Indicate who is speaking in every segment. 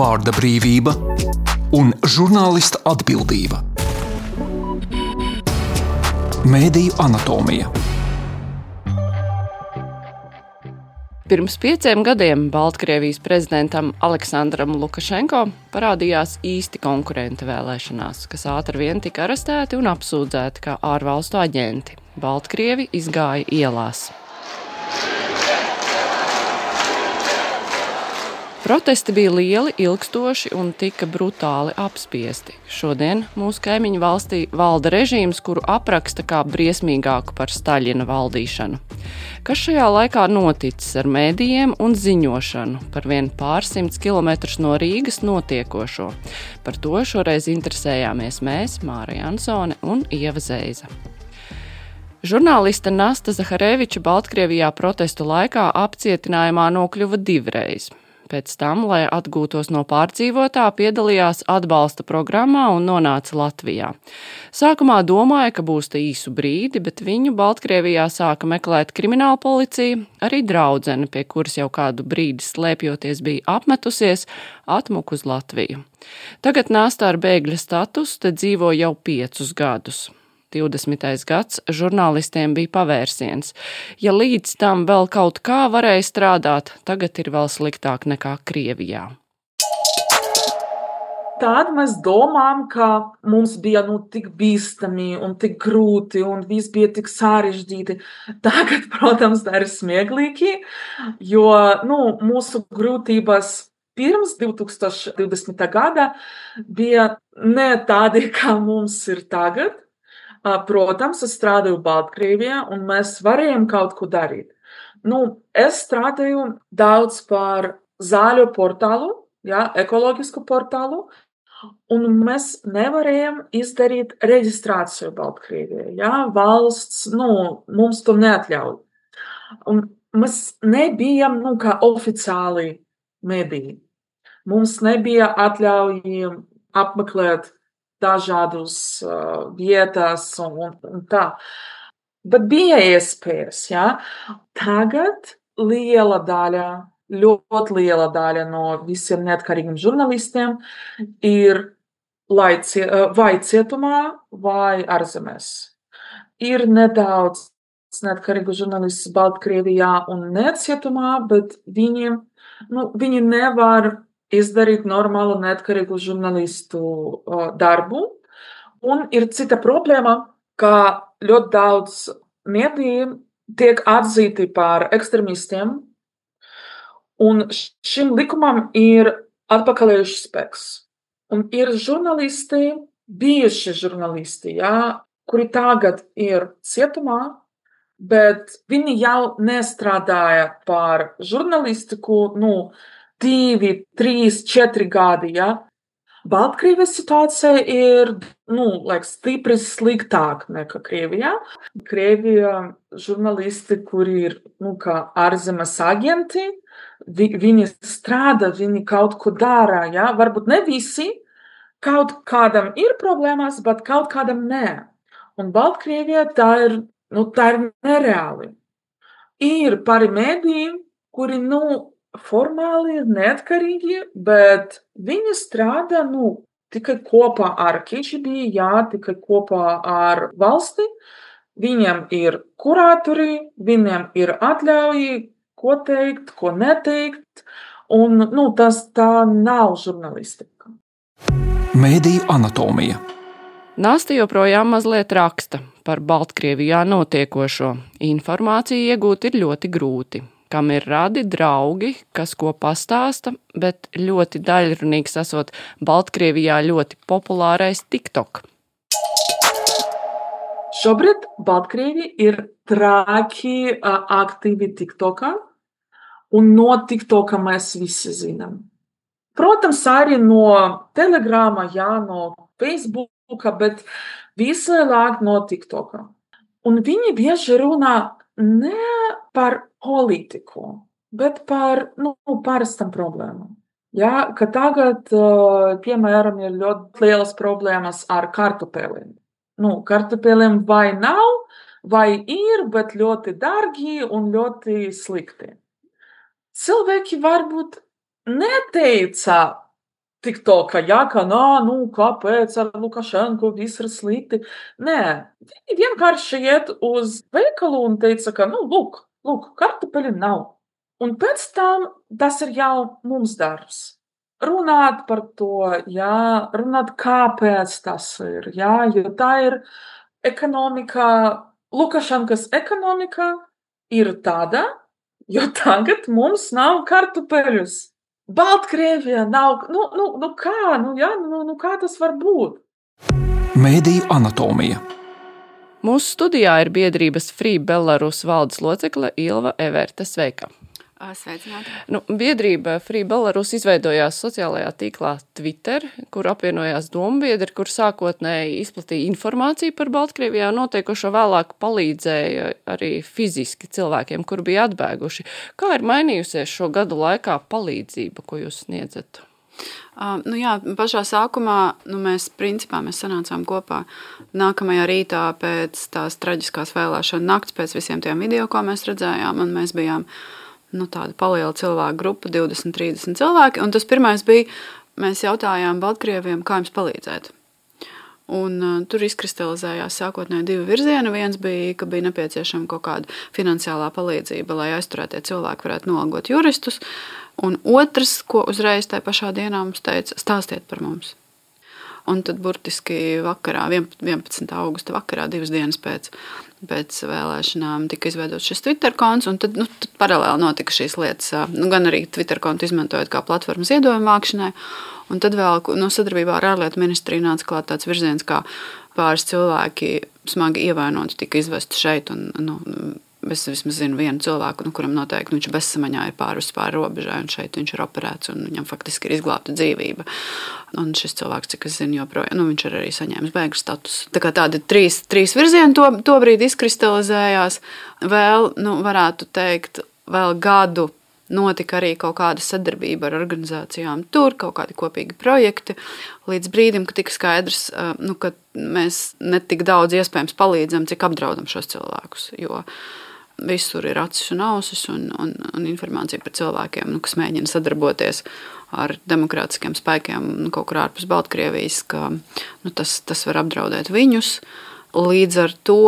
Speaker 1: vārda brīvība un žurnālista atbildība. Mēdīju anatomija.
Speaker 2: Pirms 5 gadiem Baltkrievijas prezidentam Aleksandram Lukašenko parādījās īsti konkurenti vēlēšanās, kas ātri vien tika arestēti un apsūdzēti kā ārvalstu aģenti. Baltkrievi izgāja ielās. Protesti bija lieli, ilgstoši un tika brutāli apspiesti. Šodien mūsu kaimiņu valstī valda režīms, kuru apraksta kā briesmīgāku par Staļina valdīšanu. Kas šajā laikā noticis ar mēdījiem un ziņošanu par vien pārsimts kilometrus no Rīgas notiekošo? Par to šoreiz interesējāmies mēs, Māra Jansone un Ieva Zeiza. Žurnāliste Nasta Zahareviča Baltkrievijā protestu laikā apcietinājumā nokļuva 2 reizes. Pēc tam, lai atgūtos no pārdzīvotā, piedalījās atbalsta programmā un nonāca Latvijā. Sākumā domāja, ka būs te īsu brīdi, bet viņu Baltkrievijā sāka meklēt krimināla policija, arī draudzene, pie kuras jau kādu brīdi slēpjoties bija apmetusies, atmuka uz Latviju. Tagad Nasta ar bēgļa statusu te dzīvo jau 5 gadus. 20. gads žurnālistiem bija pavērsiens. Ja līdz tam vēl kaut kā varēja strādāt, tagad ir vēl sliktāk nekā Krievijā.
Speaker 3: Tad mēs domājam, ka mums bija tik bīstami un tik grūti un viss bija tik sarežģīti. Tagad, protams, tā ir smieklīgi, jo mūsu grūtības pirms 2020. gada bija ne tādi, kā mums ir tagad. Protams, es strādāju Baltkrievijā, un mēs varējām kaut ko darīt. Es strādāju daudz par zaļo portālu, ekoloģisku portālu, un mēs nevarējām izdarīt reģistrāciju Baltkrievijā. Valsts, mums to neatļauj. Un mēs nebijām, kā oficiāli mediji. Mums nebija atļauj apmeklēt dažādas vietas un tā. Bet bija iespējas, Tagad ļoti liela daļa no visiem neatkarīgiem žurnālistiem ir vai cietumā, vai ārzemēs. Ir nedaudz neatkarīgu žurnālistu Baltkrievijā un ne cietumā, bet viņi nevar izdarīt normālu neatkarīgu žurnālistu darbu. Un ir cita problēma, ka ļoti daudz mediju tiek atzīti par ekstremistiem, un šim likumam ir atpakaļējušs spēks. Un ir žurnālisti, bijuši žurnālisti, kuri tagad ir cietumā, bet viņi jau nestrādāja par žurnālistiku, 2, 3, 4 gadi, Baltkrievijas situācija ir, stipri sliktāk nekā Krievijā. Krievijā žurnālisti, kuri ir, kā ārzemes aģenti, viņi strādā, viņi kaut ko dara, Varbūt ne visi, kaut kādam ir problēmas, bet kaut kādam nē. Un Baltkrievijā tā ir nereāli. Ir pāri mediji, kuri, formāli ir neatkarīgi, bet viņi strādā tikai kopā ar KGB, tikai kopā ar valsti. Viņiem ir kuratori, viņiem ir atļauji, ko teikt, ko neteikt, un tā nav žurnālistika.
Speaker 1: Mēdīju anatomija.
Speaker 2: Nasta joprojām mazliet raksta par Baltkrievijā notiekošo. Informāciju iegūt ir ļoti grūti. Kam ir radi draugi, kas ko pastāsta, bet ļoti daļrunīgs esot Baltkrievijā ļoti populārais TikTok.
Speaker 3: Šobrīd Baltkrievi ir traki aktīvi TikTokā, un no TikToka mēs visi zinām. Protams, arī no Telegrama, no Facebooka, bet visvairāk no TikToka. Un viņi bieži runā ne par politiku, bet par parastam problēmām. Ka tagad, piemēram, ir ļoti lielas problēmas ar kartupeļiem. Kartupeļiem vai nav, vai ir, bet ļoti dārgi un ļoti slikti. Cilvēki varbūt neteica TikTokā, kāpēc ar Lukašenko viss ir slikti. Nē, viņi vienkārši iet uz veikalu un teica, ka, lūk, kartupeļu nav. Un pēc tam tas ir jau mums darbs. Runāt par to, runāt, kāpēc tas ir, jo tā ir ekonomika, Lukašenkas ekonomika ir tāda, jo tagad mums nav kartupeļus. Baltkrievijā nav, kā tas var būt?
Speaker 1: Mēdīju anatomija.
Speaker 2: Mūsu studijā ir biedrības Free Belarus valdes locekle Ilva Everte. Sveika!
Speaker 4: Sveicināti!
Speaker 2: Biedrība Free Belarus izveidojās sociālajā tīklā Twitter, kur apvienojās dombiedri, kur sākotnēji izplatīja informāciju par Baltkrievijā notiekošo, vēlāk palīdzēja arī fiziski cilvēkiem, kur bija atbēguši. Kā ir mainījusies šo gadu laikā palīdzība, ko jūs sniedzat?
Speaker 4: Pašā sākumā mēs sanācām kopā nākamajā rītā pēc tās traģiskās vēlēšana nakts, pēc visiem tiem video, ko mēs redzējām, un mēs bijām tāda paliela cilvēku grupa, 20-30 cilvēki, un tas pirmais bija, mēs jautājām Baltkrieviem, kā jums palīdzēt. Un tur izkristalizējās sākotnēji 2 virzieni. Viens bija, ka bija nepieciešama kaut kāda finansiālā palīdzība, lai aizturētie cilvēki varētu nolgot juristus, un otrs, ko uzreiz tajā pašā dienā mums teica, stāstiet par mums. Un tad burtiski vakarā, 11. augusta vakarā, 2 dienas pēc vēlēšanām tika izveidots šis Twitter konts, un tad paralēli notika šīs lietas, gan arī Twitter kontu izmantojot kā platformu ziedojumu vākšanai, un tad vēl sadarbībā ar ārlietu ministriju nāca klāt tāds virziens, kā pāris cilvēki smagi ievainoti tika izvesti šeit, un es vismaz zinu vienu cilvēku, kuram noteikti viņš bezsamaņā ir pāri robežai, un šeit viņš ir operēts, un viņam faktiski ir izglābta dzīvība. Un šis cilvēks, cik es zinu, joprojām, viņš ir arī saņēmis bēgļu statusu. Tā kā tādi trīs virzieni tobrīd izkristalizējās. Vēl, varētu teikt, vēl gadu notika arī kaut kāda sadarbība ar organizācijām tur, kaut kādi kopīgi projekti, līdz brīdim, ka tika skaidrs, ka mēs ne tik daudz iespējams palīdzam, cik apdraudam šos cilvēkus, jo visur ir acis un ausis un informācija par cilvēkiem, kas mēģina sadarboties ar demokrātiskiem spēkiem kaut kur ārpus Baltkrievijas, ka tas var apdraudēt viņus. Līdz ar to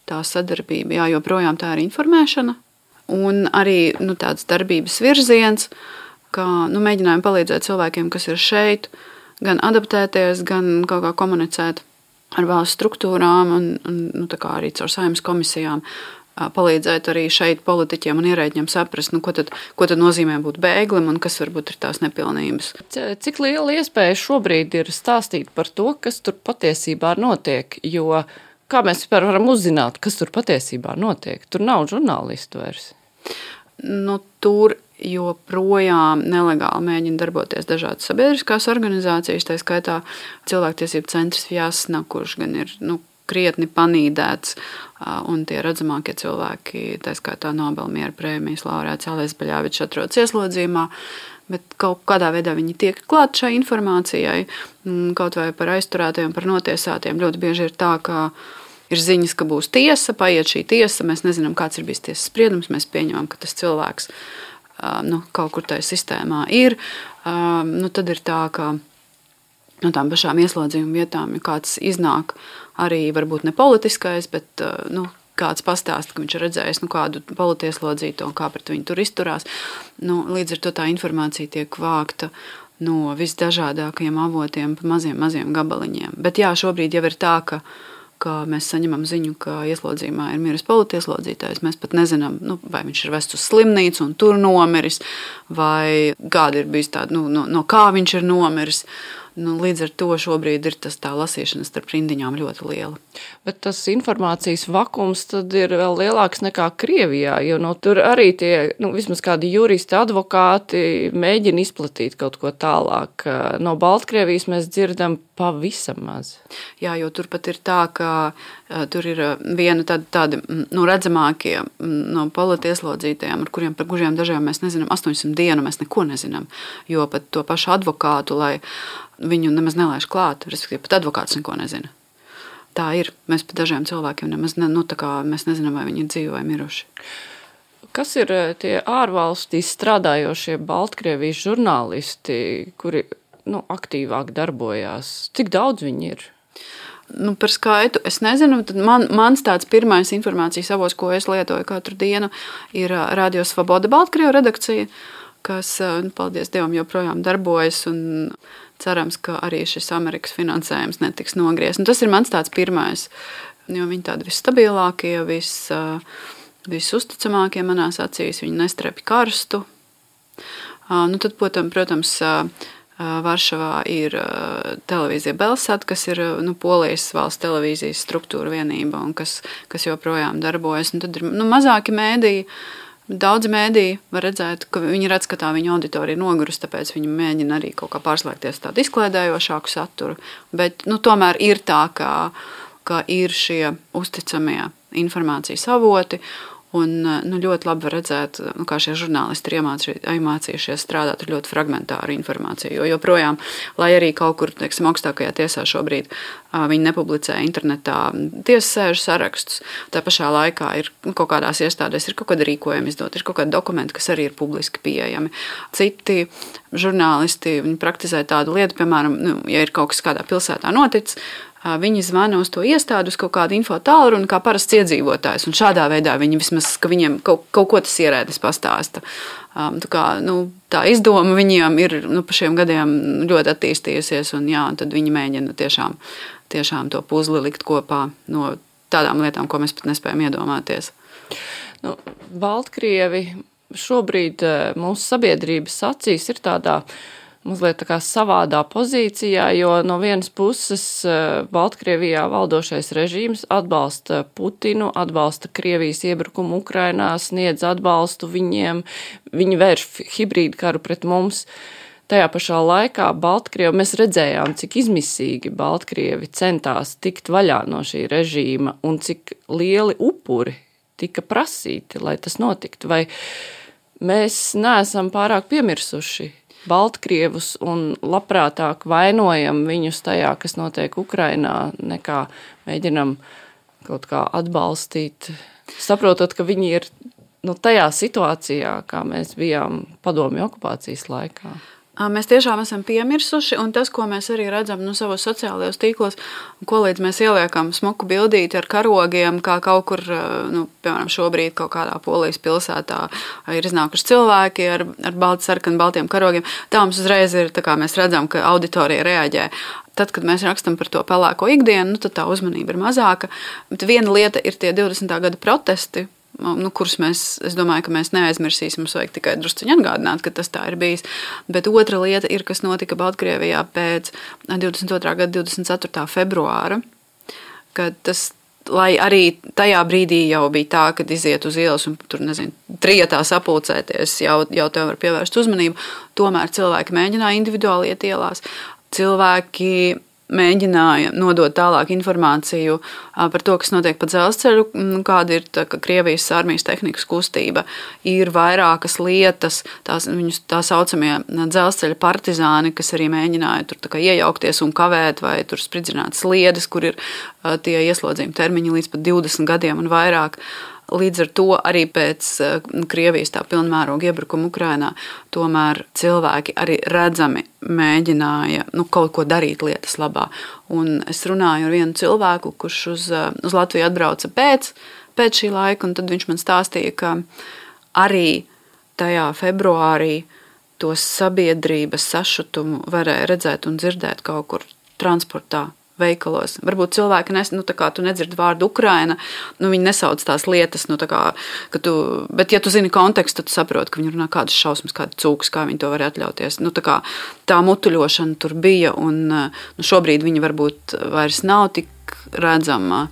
Speaker 4: tā sadarbība, joprojām tā ir informēšana un arī tāds darbības virziens, ka mēģinājām palīdzēt cilvēkiem, kas ir šeit, gan adaptēties, gan kaut kā komunicēt ar valsts struktūrām un tā kā arī caur Saeimas komisijām palīdzēt arī šeit politiķiem un ierēģiem saprast, ko tad nozīmē būt bēglim un kas varbūt ir tās nepilnības.
Speaker 2: Cik liela iespēja šobrīd ir stāstīt par to, kas tur patiesībā notiek, jo kā mēs vispār varam uzzināt, kas tur patiesībā notiek? Tur nav žurnālistu vairs.
Speaker 4: Tur joprojām nelegāli mēģina darboties dažādas sabiedriskās organizācijas, tā skaitā cilvēktiesību centrs Vjasna, kurš gan ir krietni panīdēts, un tie redzamākie cilvēki, tā skaitā Nobela miera prēmijas laureāts Ales Beļāvičs atrodas ieslodzījumā, bet kaut kādā veidā viņi tiek klāt šai informācijai, kaut vai par aizturētajiem, par notiesātiem. Ļoti bieži ir tā, ka ir ziņas, ka būs tiesa, paiet šī tiesa, mēs nezinām, kāds ir bijis tiesas spriedums, mēs pieņemam, ka tas cilvēks kaut kur tajā sistēmā ir. Tad ir tā, ka no tām pašām ieslodzījuma vietām, ja kāds iznāk arī varbūt ne politiskais, bet kāds pastāsta, ka viņš ir redzējis kādu politieslodzīto un kā pret viņu tur izturās. Līdz ar to tā informācija tiek vākta no visdažādākajiem avotiem pa maziem gabaliņiem. Bet šobrīd jau ir tā, ka mēs saņemam ziņu, ka ieslodzījumā ir miris politieslodzītājs. Mēs pat nezinām, vai viņš ir vests uz slimnīcu un tur nomiris, vai kāda ir bijis tāda, no kā viņš ir nomiris. Līdz ar to šobrīd ir tā lasīšana starp rindiņām ļoti liela.
Speaker 2: Bet tas informācijas vakums tad ir vēl lielāks nekā Krievijā, jo tur arī tie, vismaz kādi juristi, advokāti mēģina izplatīt kaut ko tālāk. No Baltkrievijas mēs dzirdam pavisam maz.
Speaker 4: Jo tur pat ir tā, ka tur ir viena tādi redzamākie no politieslodzītajiem, par kuriem dažiem mēs nezinām, 800 dienu mēs neko nezinām, jo pat to pašu advokātu, lai viņu nemaz nelaiž klāt, respektīvi pat advokāts neko nezina. Tā ir. Mēs pat dažiem cilvēkiem nemaz mēs nezinām, vai viņi ir dzīvi vai miruši.
Speaker 2: Kas ir tie ārvalstīs strādājošie Baltkrievijas žurnālisti, kuri aktīvāk darbojās? Cik daudz viņi ir?
Speaker 4: Par skaitu es nezinu. Tad mans tāds pirmais informācijas avots, ko es lietoju katru dienu, ir Radio Svoboda Baltkrievu redakcija, kas, paldies Dievam, joprojām darbojas un cerams, ka arī šis Amerikas finansējums netiks nogriezts. Tas ir mans tāds pirmais, jo viņi tādi visstabilākie, visuzticamākie manās acīs, viņi nestrepj karstu. Tad, protams, Varšavā ir televīzija Belsat, kas ir Polijas valsts televīzijas struktūra vienība un kas joprojām darbojas. Un tad ir mazāki mēdīji, daudzi mēdīji var redzēt, ka viņi redz, ka tā viņa auditorija nogurusi, tāpēc viņi mēģina arī kaut kā pārslēgties tādu izklaidējošāku saturu. Bet tomēr ir tā, ka ir šie uzticamie informācijas avoti. Un ļoti labi var redzēt, kā šie žurnālisti ir iemācījušies strādāt ar ļoti fragmentāru informāciju. Jo joprojām, lai arī kaut kur, augstākajā tiesā šobrīd viņi nepublicē internetā tiesas sēžu sarakstus, tā pašā laikā ir kaut kādās iestādēs ir kaut kāda rīkojuma izdot, ir kaut kādi dokumenti, kas arī ir publiski pieejami. Citi žurnālisti, viņi praktizē tādu lietu, piemēram, ja ir kaut kas kādā pilsētā noticis, viņi zvana uz to iestādi, uz kaut kādu info tālruni, kā parasts iedzīvotājs. Un šādā veidā viņi vismaz, ka viņiem kaut ko tas ierēdnis pastāsta. Tā izdoma viņiem ir pa šiem gadiem ļoti attīstījusies, un tad viņi mēģina tiešām to puzli likt kopā no tādām lietām, ko mēs pat nespējam iedomāties.
Speaker 2: Baltkrievi šobrīd mūsu sabiedrības acīs ir tādā mazliet tā kā savādā pozīcijā, jo no vienas puses Baltkrievijā valdošais režīms atbalsta Putinu, atbalsta Krievijas iebrukumu Ukrainā, sniedz atbalstu viņiem, viņi vērš hibrīdu karu pret mums. Tajā pašā laikā Baltkrievi, mēs redzējām, cik izmisīgi Baltkrievi centās tikt vaļā no šī režīma un cik lieli upuri tika prasīti, lai tas notiktu. Vai mēs neesam pārāk piemirsuši Baltkrievus un labprātāk vainojam viņus tajā, kas notiek Ukrainā, nekā mēģinam kaut kā atbalstīt, saprotot, ka viņi ir tajā situācijā, kā mēs bijām padomju okupācijas laikā.
Speaker 4: Mēs tiešām esam piemirsuši, un tas, ko mēs arī redzam savos sociālajos tīklos, ko līdz mēs ieliekam smuku bildīti ar karogiem, kā kaut kur, piemēram, šobrīd kaut kādā Polijas pilsētā ir iznākuši cilvēki ar baltiem karogiem. Tā mums uzreiz ir, tā kā mēs redzam, ka auditorija reaģē. Tad, kad mēs rakstam par to pelēko ikdienu, tad tā uzmanība ir mazāka. Bet viena lieta ir tie 20. gada protesti, kurus es domāju, ka mēs neaizmirsīsim, mums vajag tikai drusciņi atgādināt, ka tas tā ir bijis. Bet otra lieta ir, kas notika Baltkrievijā pēc 22. gada 24. februāra, kad tas, lai arī tajā brīdī jau bija tā, kad iziet uz ielas un tur, trietā sapulcēties, jau tev var pievērst uzmanību, tomēr cilvēki mēģināja individuāli iet ielās. Cilvēki mēģināja nodot tālāk informāciju par to, kas notiek pa dzelzceļu, kāda ir Krievijas armijas tehnikas kustība. Ir vairākas lietas, tā saucamie dzelzceļa partizāni, kas arī mēģināja tur iejaukties un kavēt vai tur spridzināt sliedes, kur ir tie ieslodzījuma termiņi līdz pat 20 gadiem un vairāk. Līdz ar to arī pēc Krievijas tā pilnmēroga iebrukuma Ukrainā tomēr cilvēki arī redzami mēģināja kaut ko darīt lietas labā. Un es runāju ar vienu cilvēku, kurš uz Latviju atbrauca pēc šī laika, un tad viņš man stāstīja, ka arī tajā februārī to sabiedrības sašutumu varēja redzēt un dzirdēt kaut kur transportā, veikalos. Varbūt cilvēki, tu nedzirdi vārdu Ukraina, viņi nesauc tās lietas, bet ja tu zini kontekstu, tad tu saproti, ka viņi runā kādas šausmas, kāda cūkas, kā viņi to var atļauties. Tā mutuļošana tur bija, un šobrīd viņa varbūt vairs nav tik redzama,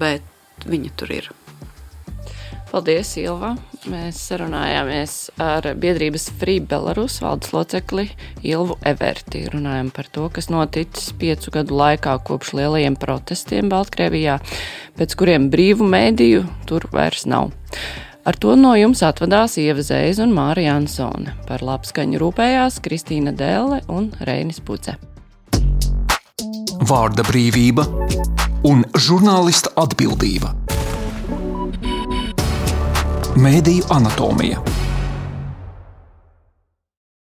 Speaker 4: bet viņa tur ir.
Speaker 2: Paldies, Ilva! Mēs sarunājāmies ar biedrības Free Belarus valdes locekli Ilvu Everti. Runājam par to, kas noticis 5 gadu laikā kopš lielajiem protestiem Baltkrievijā, pēc kuriem brīvu mēdīju tur vairs nav. Ar to no jums atvadās Ieva Zēza un Māra Jansone. Par labskaņu rūpējās Kristīna Dēle un Reinis Puce.
Speaker 1: Vārda brīvība un žurnālista atbildība. Mēdīju anatomija.